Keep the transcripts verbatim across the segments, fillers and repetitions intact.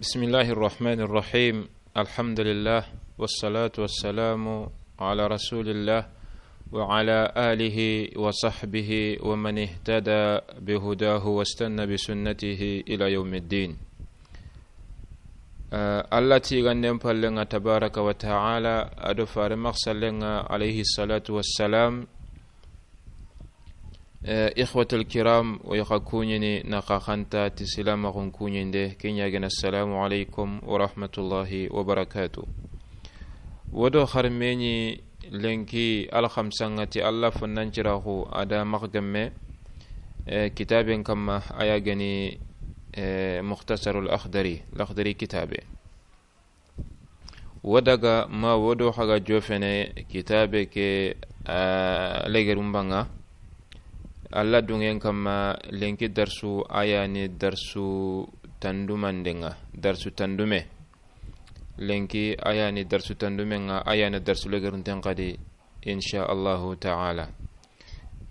بسم الله الرحمن الرحيم. الحمد لله، والصلاة والسلام على رسول الله، وعلى آله وصحبه ومن اهتدى بهداه واستنى بسنته إلى يوم الدين. Eh, Alla tiganden pallen ŋa tabaraka wa taala, a do fare maxsallen ŋa alayhi salatu wassalam. Eh, ikhwatal kiram, o yi xa kuɲini na xa xanta ti silamaxun kuɲinde, ke ɲa gana, assalamu alaikum wa rahmatullahi wa barakatuh. Wo do xarmeɲi lenki alxamsa ŋa ti Alla fonnanciraxu a da maxa gemme, eh, kitaben kamma, a ya gani, eh, Mukhtasarul Akhdari, Lakhdari kitabe. Wo daga ma wo do xa ga jofene kitabe ke, a, legerun banŋa. Alla dungen kamma, lenki darsu a ya ni darsu tandumanden ŋa, darsu tandume. Lenki a ya ni darsu tandumen ŋa, a ya ni darsu legerunten xadi, insha Allahu taala.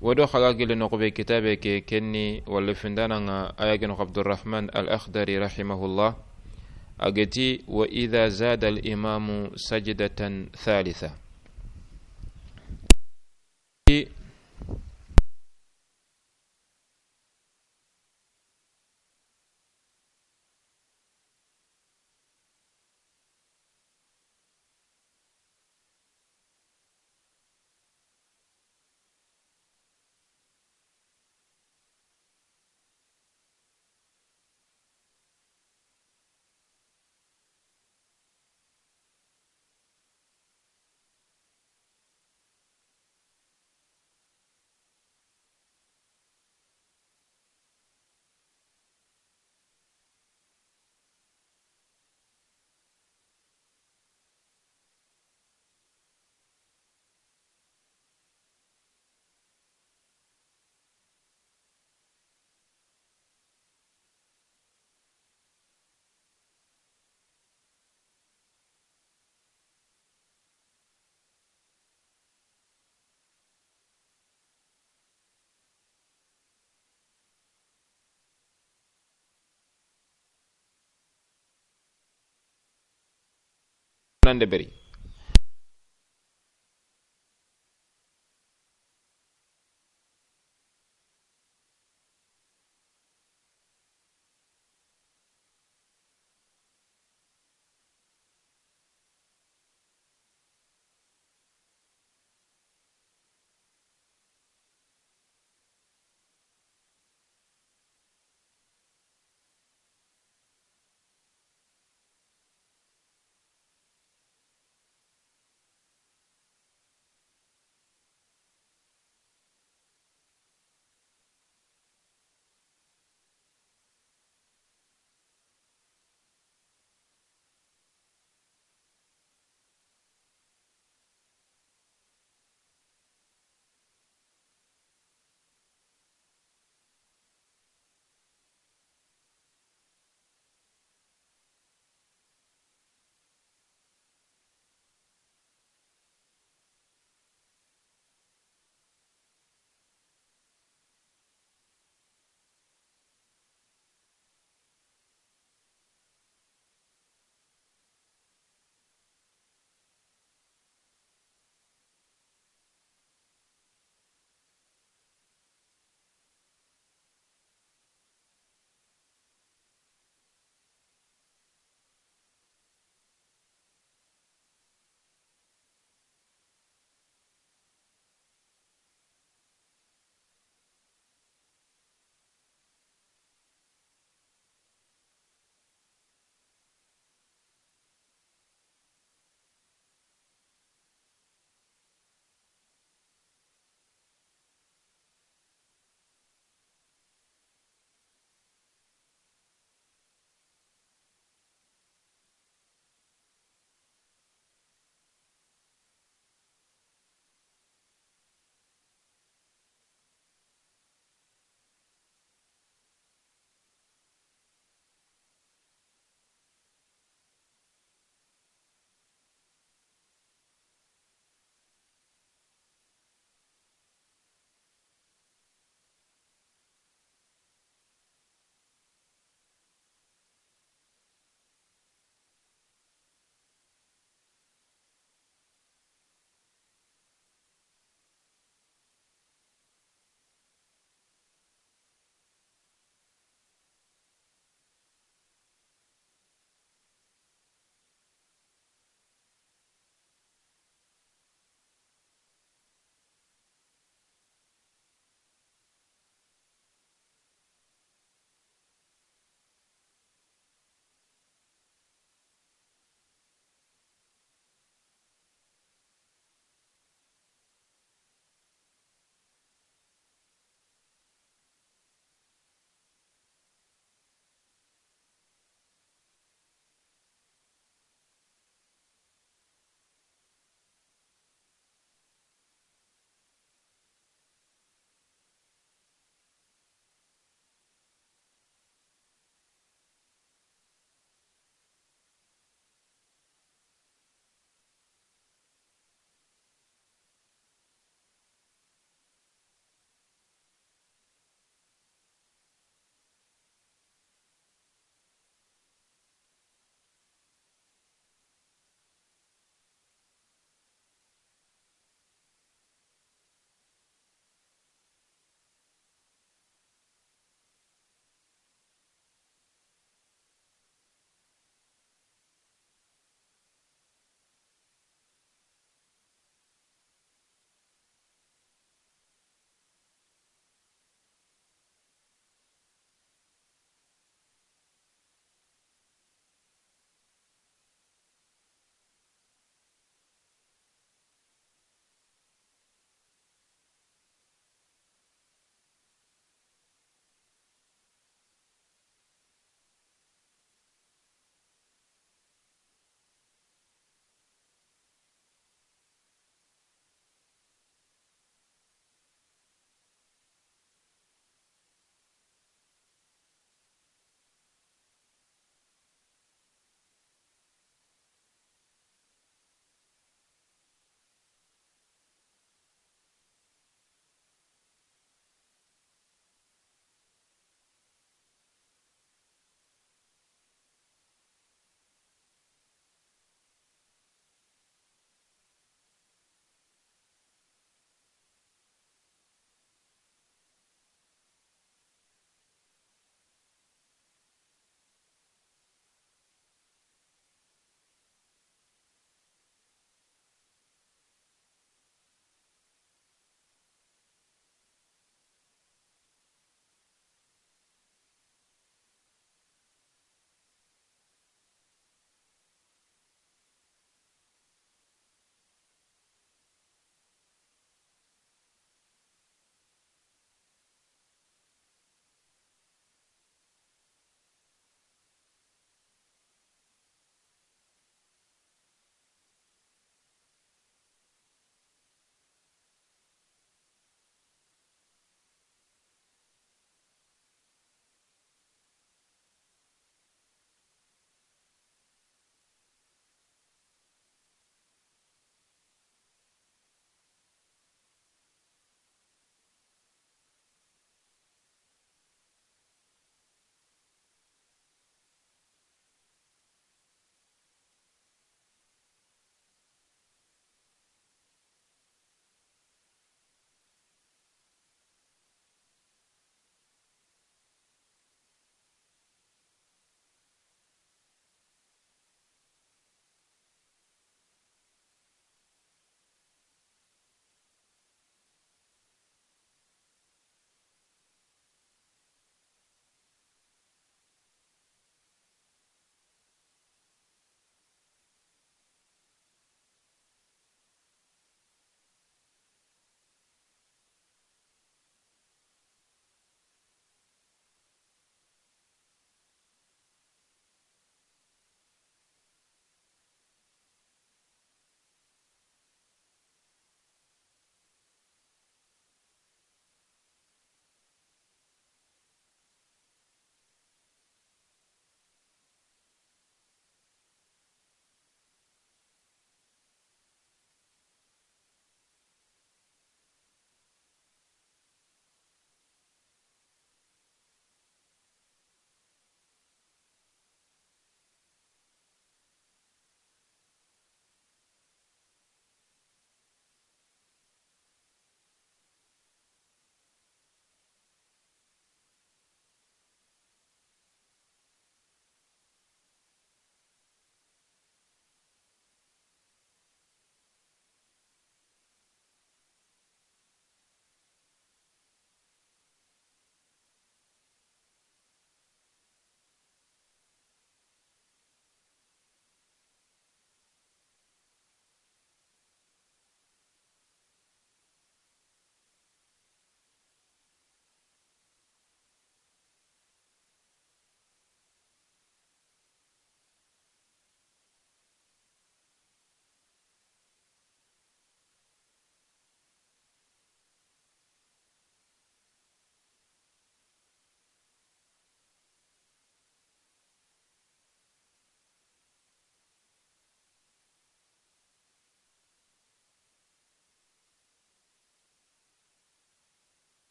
Wo do xa ga gili noxu be kitabe ke, ken ni walla findanan ŋa, a ya geno Abdurrahman al-Akhdari rahimahullah. A ga ti: "Wa idha zada al-imamu sajdatan thalitha." Nande beri.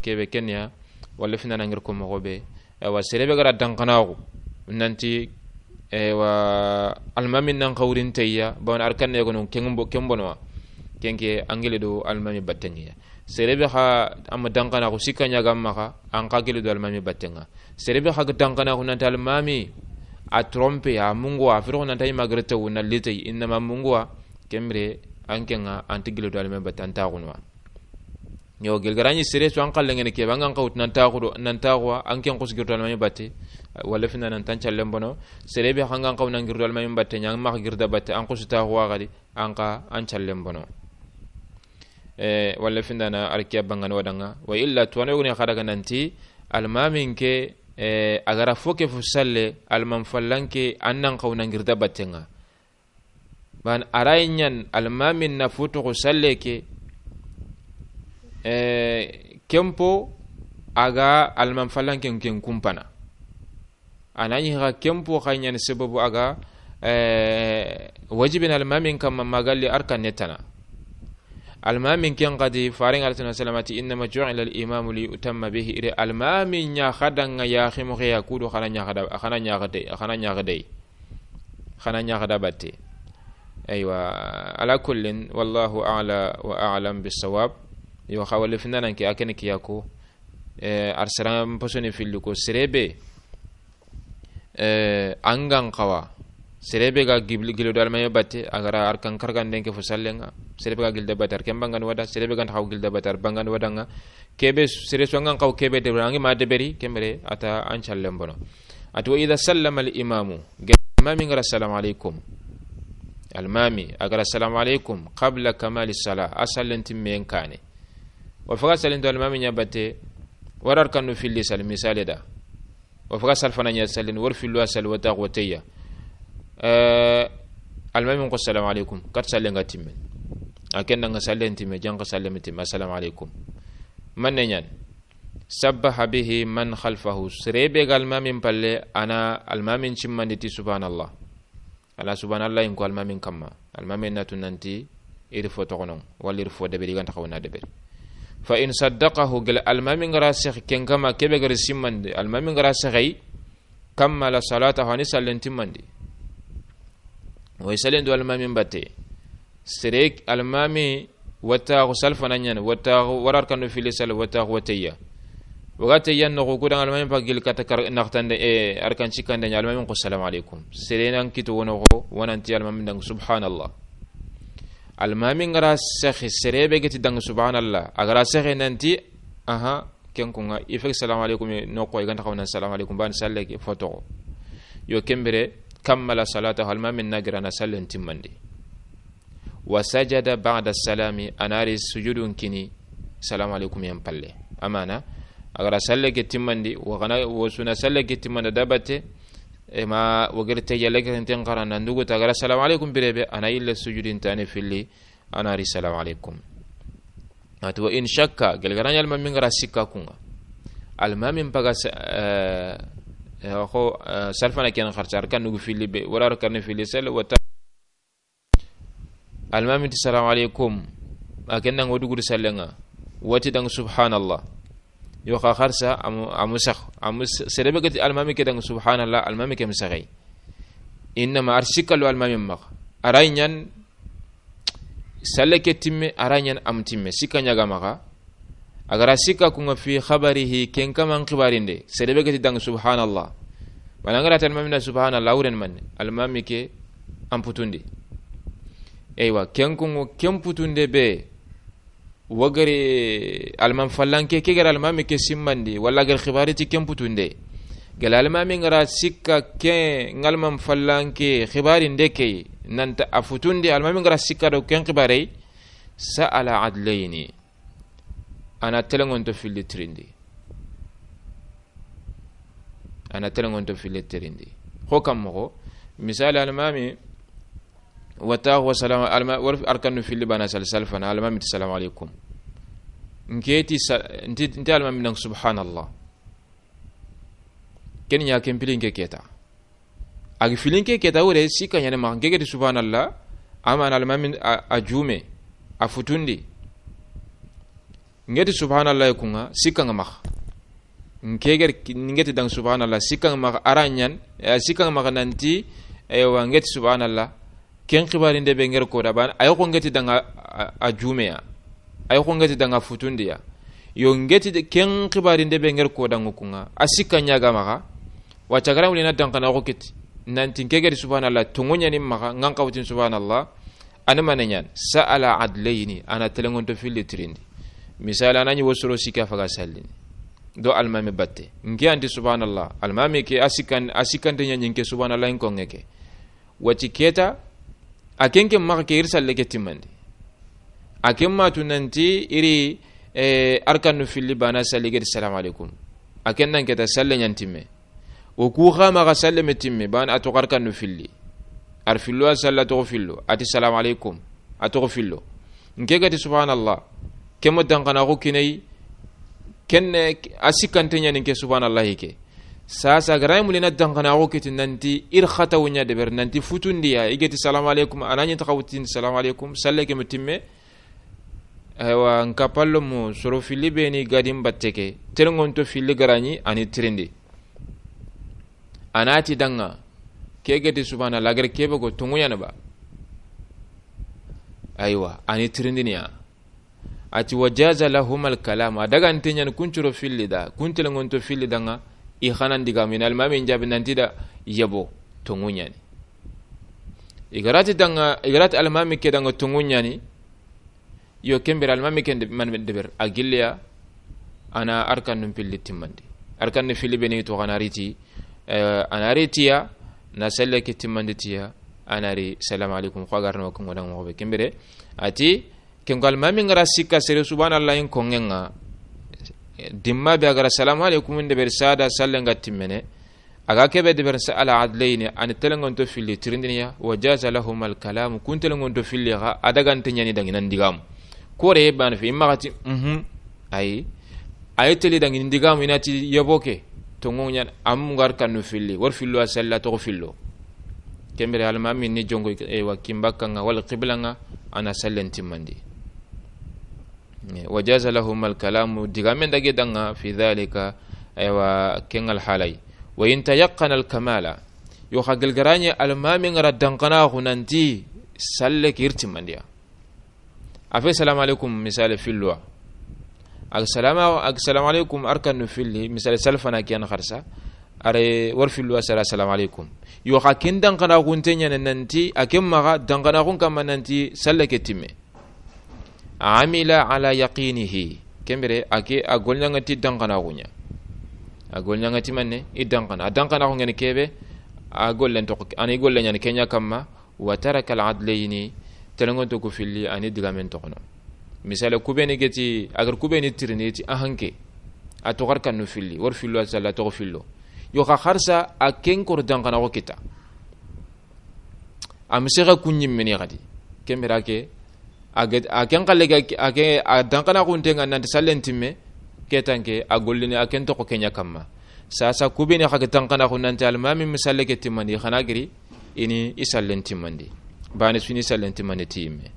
Kebe kenya, walla fina na ngir ko moxo be. Ewa, sere be ga ra danxanaxu nanti, ewa, almami nan xawrin teya, bawon arkanne gono ken bo-, ken bonowa. Kenke an gili do almami battengiya. Sere be xa ama danxanaxu sikka ɲaga maxa, an xa gili do almami battenga. Sere be xa ga danxanaxu nanti almami a trompe, a munguwa, a firo nanti ay magrete wu na litay, innama munguwa, kemre an kenga anti gili do almami batte an taxunuwa. Yo, gelgaraɲi sere su an xallengene kebe, an gan xawtu nan taxu do, nan taxuwa, an ken xusu girdo almami batte, walla fina nan tan callen bono. Sere be xa an gan xaw nan girdo almami batte, ɲa maxa girda batte, an xusu taxuwa xadi, an xa an callen bono. E, walla findana arkiya bangan wadanga. Wa illa tuwano yogoni xadaga nanti, almamin ke, e, a ga ra fo ke fu salle, alman fallanke, an nan xaw nan girda battenga. Ban a ra ɲan almamin na futuxu salle ke, e, kempo a ga alman fallanken ken kumpana. A na ɲi xa kempo xa ɲani sababu a ga, e, wajibin almamin kamma magalli arkanne tana. Almamin ken xadi, faren alayhi salatu wasalam a ti, "Innama ju'ila al-imamu li yu'tamma bihi." Ire almamin ɲa xadanga ya ximo xeya kudu xana ɲa xada, xana ɲa xade, xana ɲa xade. Xana ɲaxada batte. Aywa, ala kullin, wallahu a'la wa a'lam bissawab. Yo, xa wala findanan ke, a kene kiya ko, e, arsaran posoni filli ko, serebe, e, angan xawa. Serebe ga gibli gilo do almami batte, a ga ra arkan karganden ke fo sallenga. Serebe ga gilda batte, arken bangan wada, serebe ga xaw gilda batte, ar bangan wadanga. Kebe, sere su angan xaw kebe de, rangi ma deberi, kemere, ata an callen bono. Ati, "Wa idha sallama al-imamu," ge-, almami ngara, "Assalamu alaikum." Almami, a ga ra, "Assalamu alaikum," qabla kamali salah, a sallen timmen kane. Wa faga sallen to almami ɲa batte, warar kanu filli sal misale da. Wa faga sal fana ɲa sallen, war fillu a sal wata wotayya. Eh, almami ko, "Assalamu alaikum," kat sallen ga timme. A ken danga sallen timme, janka sallen timme, "Assalamu alaikum." Manne ɲan. Sabbaha bihi man khalfahu. Serebe ga almamin palle, ana almamin cimmandi ti subhanallah. Ala subhanallah in ko almamin kamma. Almamin natu nanti iri fo toxonon, walla iri fo deberi ganta xawna deberi. Fa in saddaqahu, gel almamin gara sex ken kama kebe gari simmandi, almamin gara sexay, kammala salatahu, ani sallen timmandi. Way sallen do almamin batte. Sere almami wataxu salfana ɲani, wataxu warar kanu fili sal, wataxu watayya. Waga tayya noxu kudan almami pa gil kata kar naxtande, e, arkan cikande ɲa, almami ko, "Assalamu alaikum." Sere nan kito wono xo, wananti almami dang subhanallah. Almami ngara sexi, serebe geti dang subhanallah. Agara sexi nanti, aha, ken kunga, ifek salamu alaikum, no ko iganta xawna salamu alaikum, ban salle ke foto. Yo kembere, kammala salatahu, almami nagira na sallen timmandi. Wa sajada ba'da salami, anari sujudun kini, salamu alaikum yan palle. Amana, agara salle ke timmandi, wa gana, wa suna salle ke timmanda dabate, ema wagir te yalla ke ten xara nan dugu ta gara salamu alaikum birebe, ana illa sujudin tane filli, anari salamu alaikum. Ati wa in shakka, gelgaraɲa almamin gara sikka kunga. Almamin paga sa-, eh, eh, xo, eh, salfana ken xarsa, arkan nugu filli be, wala arkan filli sel, wata Almami ti, "Salamu alaikum." A ken nang wo dugudi sallenga. Wati dang, "Subhanallah." Yo xa xarsa, amu, amu sax. Amu s-, serebe gati almami ke dang, "Subhanallah," almami ke misaxay. Innama ar sikkalu almami max. Aray ɲan salle ke timme, aray ɲan am timme. Sikka ɲaga maxa. Agara sikka kunga fi khabarihi, ken kaman xibarinde. Serebe gati dang, "Subhanallah." Mana ngara tan almami na, "Subhanallah," wuren manne. Almami ke amputundi. Eywa, ken kungo ken putunde be. Wagari alman fallanke, ke gara almami ke simmandi, wala gar xibari ti ken putunde. Gala almami ngara sikka ke ngalman fallanke xibarinde ke, nanta afutundi, almami ngara sikka do ken xibarey, sa'ala adlayni. Ana telengonto filli tirindi. Ana telengonto filli tirindi. Xo kam moxo, misali almami, wata wa salama, alma, war arkanu filli bana sal, salfana, almami ti, "Salamu alaikum." Nketi sa-, nti, nti almami nang, "Subhanallah." Ken ɲa ken pilin ke keta. Agi filin ke keta wure, sikka ɲane maxa, nke geti subhanallah, amana almamin a, a jume, a futundi. N ke ti subhanallah ku ŋa, sikka ŋa maxa. N ke ga ri, n ke ti danŋa subhanallah, sikka ŋa maxa, a ra ɲaana, eh, sikka ŋa maxa nanti, eywa, n ke ti subhanallah, ken xibaarinde be n ke ri ko da baane, a yi xo n ke ti danŋa a, a juume ya, a yi xo n ke ti danŋa futundi ya. Yo, n ke ti de, ken xibaarinde be n ke ri ko danŋa ku ŋa, a sikka ɲa ga maxa, wa ti a ga ra wuli na danxanaaxu ke ti, nanti n ke ga ti subhanallah, tonŋu ɲa ni maxa, n ga n xa wutin subhanallah, a ni mane ɲaana, sa'ala adlayni, a na telenŋonto filli tirindi. Misaali, a na ɲi wo soro sikka faga sallini. Do almaami batte. N ke an ti subhanallah. Almaami ke a sikkan, a sikkante ɲa ɲi n ke subhanallah in koŋŋe ke. Wa ti ke ta, a ken ke maxa ke i ri salle ke timmandi. A ken ma tu nanti i ri, eh, arkannu filli baane salli ke ti salamu aleykum. A ken nan ke ta salle ɲa n timme. O ku xa maxa salle me timme, baane a toxo arkannu filli. A ri fillo a salla toxo fillo, a ti salamu aleykum, a toxo fillo. N ke ga ti subhanallah, ke ma danxanaaxu kini a yi, ken ne a sikkante ɲa ni n ke subhanallah ke. Saasa, a ga ra ɲi muli na danxanaaxu ke ti nanti i ri xatawu ɲa deberi, nanti futundi ya, i ga ti salamu aleykum, a na ɲi n taxa wutindi salamu aleykum, salle ke me timme. Eywa, n ka pallo mu soro filli be ni ga di n batte ke, telenŋonto filli ga ra ɲi, a ni tirindi. A na ti danŋa, ke ga ti subhanallah, a ga ri ke be ko tonŋu ɲa ni ba. Aywa, a ni tirindini ya. A ti, wa jaza lahuma alkalam, a dagante ɲa ni kun soro filli da, kun telenŋonto filli danŋa, i xa na n digaamu, i na almaami n jaabi nanti da yabo, tonŋu ɲa ni. I ga ra ti danŋa, i ga ra ti almaami ke danŋa tonŋu ɲa ni, yo, ken bire almaami ken de, man deberi, a gilli ya, a na arkannu filli timmandi. Arkannu filli be ni toxo a na ri ti, eh, a na ri ti ya, na salle ke timmandi ti ya, a na ri salamu aleykum, xo a ga ra no ko ŋo danŋa moxo be. Ken bire, a ti, ken ko almaami n ga ra sikka sere subhanallah in koŋŋe ŋa, dimma be a ga ra salamu aleykum n deberi saasa salle n ga timmene, a ga ke be deberi sa'ala adlayni, a ni telenŋonto filli tirindini ya, wa jaza lahuma alkalam, kun telenŋonto filli xa, a dagante ɲa ni danŋa i na n digaamu. Kore baane fi, i maxa ti, mhm, ayi. A yi teli danŋa i na n digaamu, i na ti yabo ke, tonŋu ɲa ni, a mu n ga arkannu filli, wa ri fillo a salla toxo fillo. Ken bire almaami ni jonko, eywa, kinbakka ŋa, wala qibla ŋa, a na sallen timmandi. Wa jaza lahuma alkalamu, digaamen dage danŋa, fi dhalika, aywa, ken alhaala yi. Wa in tayaqqana alkamala, yo xa gilli ga ra ɲi almaami n ga ra danxanaaxu nanti salle ke i ri timmandi ya. A fe salamu aleykum, misaali fillo wa. A ga salama, a ga salamu aleykum, arkannu filli, misaali salfana ke ya ni xarsa. A ri wa ri fillo a salla salamu aleykum. Yo xa ken danxanaaxunte ɲa ni nanti, a ken maxa danxanaaxun kanma nanti salle ke timme. Amila ala yaqinihi. Ken bire, a ke, a golli ɲa ŋa ti danxanaaxu ɲa. A golli ɲa ŋa ti manne, i danxana. A danxanaaxu ŋa ni ke be, a gollen toxo, a na i golle ɲa ni ke ɲa kanma, wa taraka al adlayni, telenŋonto ku filli, a ni digaamen toxo no. Misaali, ku be ni ga ti, a ga ri ku be ni tirindi ti a hanke. A toxo arkannu filli, wa ri fillo a salla toxo fillo. Yo xa xarsa, a ken koro danxanaaxu kita. A ma sexe ku ɲimme ni xadi. Ken bire ke, a ke, a ken xalle ga, a ke, a danxanaaxunte ŋa nanti sallen timme, ke tanke, a gollini a ken toxo ke ɲa kanma. Saasa ku be ni xa ga danxanaaxu nanti almaami ma salle ke timmandi, xa na giri, i ni i sallen timmandi. Baane su ni sallen timmandi ti yimme.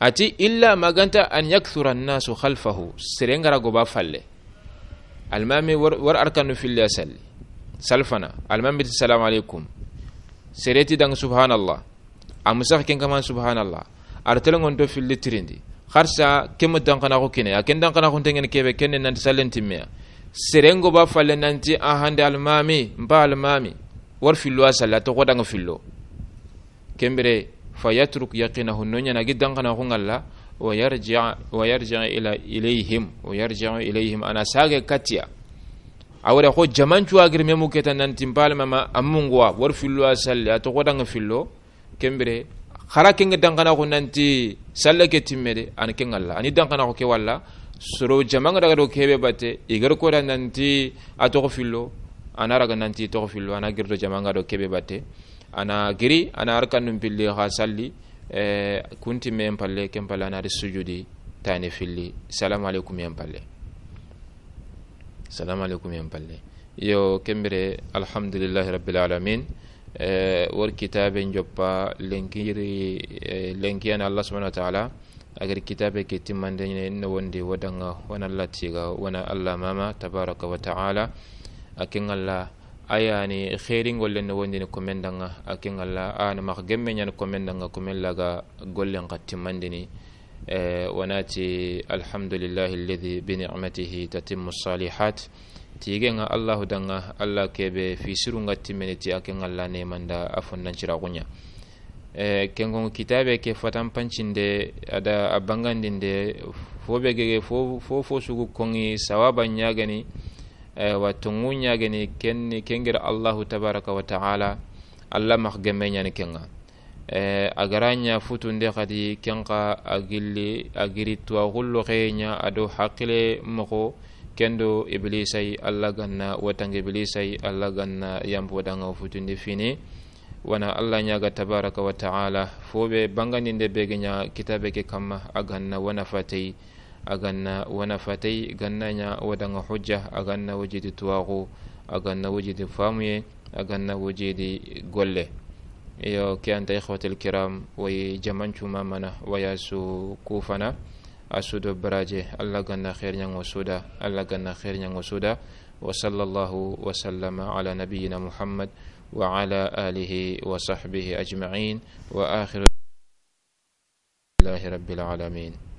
A ti, illa ma ga nta an yakthura annasu khalfahu, seren ga ra gobo a falle. Almaami wa ri, wa ri arkannu filli a salli. Salfana, almaami ti salamu aleykum. Sere ti danŋa subhanallah. A ma sexe ken kanma subhanallah. A ri telenŋonto filli tirindi. Xarsa ke ma danxanaaxu kini a yi. A ken danxanaaxunte ŋa ni ke be ken ni nanti sallen timme ya. Seren gobo a falle nanti a hande almaami, n pa almaami. Wa ri fillo a salla toxo danŋa fillo. Ken bire, fa yatruk yaqinahu, no ɲa na a gi danxanaaxu ŋalla, wa yarji, wa yarji ila, ilayhim, wa yarji ilayhim, a na saage katti ya. A wure xo jamancu a giri me mu ke ta nanti n pa almaami a mungu wa, wa ri fillo a salli, a toxo danŋa fillo, ken bire, xa ra ken ga danxanaaxu nanti salle ke timme de, a ni ken ŋalla, a ni danxanaaxu ke walla, soro jama ŋa daga do ke be batte, i ga ri ko da nanti a toxo fillo, a na raga nanti toxo fillo, a na giri do jama ŋa do ke be batte, a na giri, a na arkannu filli xa salli, eh, kun timme yen palle, ken palle a na ri sujudi tani filli, salamu aleykum yen palle. Salamu aleykum yen palle. Yo, ken bire, alhamdulillahi rabbil alamin. Eh, wori kitabe njoppa lenkiri, eh, lenkiyana Allah subhanahu wa ta'ala. Agari kitabe ke timmande ne no wondi wodanga wana Allah tiga wana Allah mama tabaraka wa ta'ala. Akin Allah ayani khairin gollen no wondi ne komendanga. Akin Allah an max gemme nyan komendanga komella ga gollen ka timmandini. Eh, wanati alhamdulillahi alladhi bi ni'matihi tatimmu salihat. Tigenga Allahu danga Allah kebe fi sirunga timmene ti aken Allah ne manda a fondan ciragunya. Eh, kengon kitabe ke fatan pancinde ada a bangandinde fo be gege fo fo fo sugu kongi sawaba nyagani, eh, wa tongu nyagani ken kengir Allahu tabaraka wa ta'ala. Allah max gemme nyani kenga. Eh, a gara ɲa futunde xadi ken xa a gilli a giri tuwaxullo xeye ɲa a do haqile moxo. Ken do Iblisa yi, Allah ganna watanga Iblisa yi, Allah ganna yampo danga futundi fini. Wana Allah ɲaga tabaraka wa ta'ala fo be bangandinde be ge ɲa kitabe ke kamma a ganna wana fatey. A ganna wana fatey ganna ɲa wadanga hujja a ganna wajidi tuwaxu a ganna wajidi famuye a ganna wajidi golle. Yo ke anta ikhwatil kiram way jamancu mamana waya su kufana a su do baraje Allah ganna khair ɲango suda Allah ganna khair ɲango suda. Wa sallallahu wa sallama ala nabiyyina Muhammad wa ala alihi wa sahbihi ajma'in. Wa akhiru لله رب العالمين.